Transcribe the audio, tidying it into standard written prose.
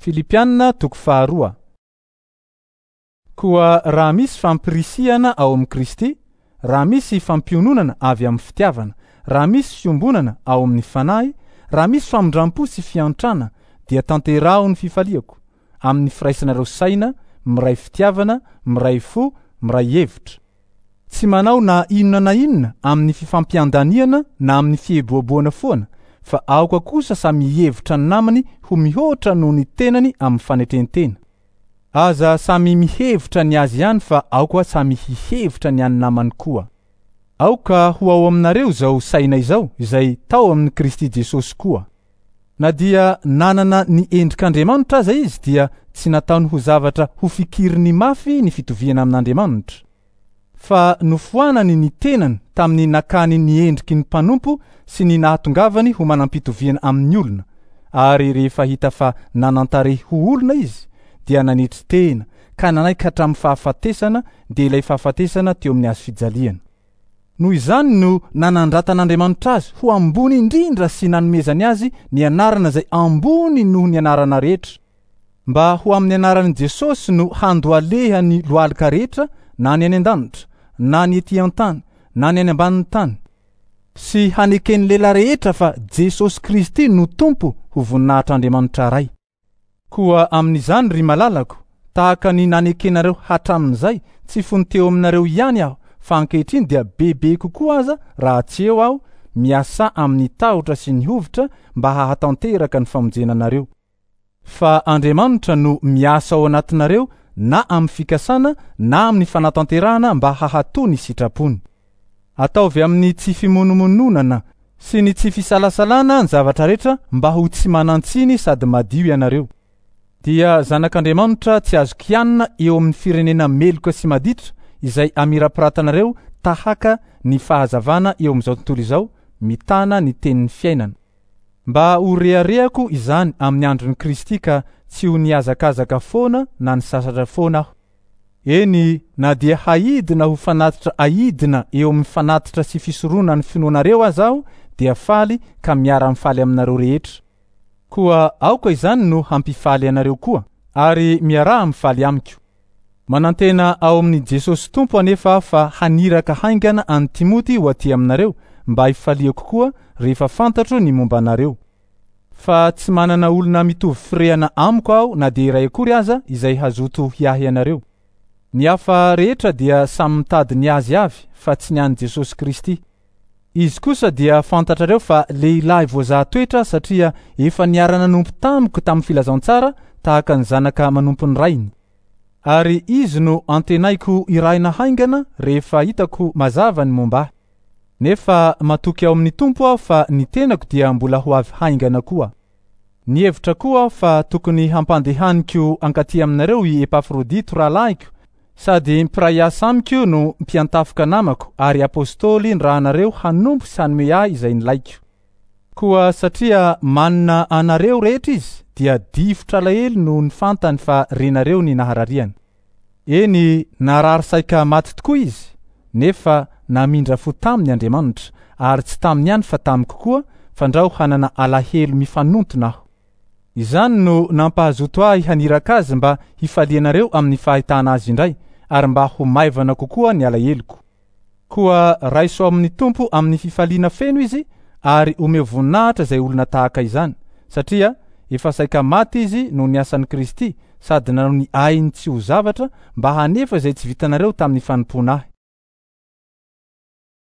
Filipiana toko faharoa. Koa raha misy fampirisihana ao amin'i Kristy, raha misy fampiononana avy amin'ny fitiavana, raha misy fiombonana ao amin'ny fanahy, raha misy famindram-po sy fiantrana, dia tanteraho ny fifaliako amin'ny firaisanareo saina, miray fitiavana, miray fo, miray hevitra. Tsy manao na inona na inona amin'ny fifampiandaniana na amin'ny fieboeboana foana, fa aoka kosa samy hihevitra ny namany ho mihoatra noho ny tenany amin'ny fanetren-tena. Aza samy mihevitra ny azy ihany fa aoka samy hihevitra ny an'ny namany koa. Aoka ho ao aminareo izao saina izao izay tao amin'i Kristy Jesosy koa. Na dia nanana ny endrik'Andriamanitra aza izy dia tsy nataony ho zavatra ho fikiriny mafy ny fitoviana amin'Andriamanitra. Fa nofoanany ny tenany tamin'ny nakany ny endriky ny mpanompo sy ny nahatongavany ho manam-pitoviana amin'ny olona, ary rehefa hita fa nanan-tarehy ho olona izy, dia nanetry tena ka nanaiky hatramin'ny fahafatesana, dia ilay fahafatesana teo amin'ny hazo fijaliana. Noho izany no nanandratan'Andriamanitra azy ho ambony indrindra sy nanomezany azy ny anarana izay ambony noho ny anarana rehetra, mba ho amin'ny anaran'i Jesosy no handohalehan'ny lohalika rehetra na ny any an-danitra, na ny ety an-tany, na ny any ambanin'ny tany, sy haneken'ny lela rehetra fa Jesosy Kristy no Tompo ho voninahitr'Andriamanitra Ray. Koa amin'izany, ry malalako, tahaka ny nanekenareo hatramin'izay, tsy fony teo aminareo ihany aho, fa ankehitriny dia bebe kokoa aza raha tsy eo aho, miasà amin'ny tahotra sy ny hovitra mba hahatanteraka ny famonjena anareo. Fa Andriamanitra no miasa ao anatinareo na amin'ny fikasana na amin'ny fanatanterahana mba hahato ny sitrapony. Ataovy amin'ny tsy fimonomononana sy ny tsy fisalasalana ny zavatra rehetra mba ho tsy manan-tsiny sady madio ianareo. Dia zanak'Andriamanitra tsy azo kianina eo amin'ny firenena meloka sy maditra izay amirapiratanareo tahaka ny fahazavana eo amin'izao tontolo izao mitana ny tenin'ny fiainana. Mba ho reharehako izany amin'ny andron'i Kristy ka tsy ho nihazakazaka foana na nisasatra foana aho. Eny, na dia haidina ho fanatitra aidina eo amin'ny fanatitra sy fisoronana ny finoanareo aza aho, dia faly ka miara-mifaly aminareo rehetra. Koa aoka izany no hampifaly anareo koa, ary miaraha mifaly amiko. Manantena ao amin'i Jesosy Tompo anefa aho fa haniraka haingana an'i Timoty ho aty aminareo mba hifaliako koa rehefa fantatro ny momba anareo. Fa tsy manana olona mitovy firehana amiko aho na dia iray akory aza izay hazoto hiahy anareo. Ny hafa rehetra dia samy mitady ny azy avy fa tsy ny an'i Jesosy Kristy. Izy kosa dia fantatrareo fa lehilahy voazaha toetra satria efa niara-nanompo tamiko tamin'ny filazantsara tahaka ny zanaka manompo ny rainy. Ary izy no antenaiko hirahina haingana rehefa hitako mazava ny momba ahy. Nefa matoky ao amin'ny Tompo aho fa ny tenako dia mbola ho avy haingana koa. Nihevitra koa aho fa tokony hampandehaniko hankaty aminareo i Epafrodito rahalahiko sady mpiray asa amiko no mpiantafoka namako ary apostoly nirahanareo hanompo sy hanome ahy izay nilaiko. Koa satria manina anareo rehetra izy dia difotra alahelo noho ny fantany fa renareo ny naharariany. Eny, narary saika maty tokoa izy, nefa namindra fo taminy Andriamanitra, ary tsy taminy ihany fa tamiko koa, fandrao hanana alahelo mifanontona aho. Izany no nampahazoto ahy haniraka azy mba hifalianareo amin'ny fahitana azy indray, ary mba ho maivana kokoa ny alaheloko. Koa raiso ao amin'ny Tompo amin'ny fifaliana feno izy ary omeo voninahitra izay olona tahaka izany, satria efa saika maty izy noho ny asan'i Kristy sady nanao ny ainy tsy ho zavatra mba hanefa izay tsy vitanareo tamin'ny fanompoana ahy.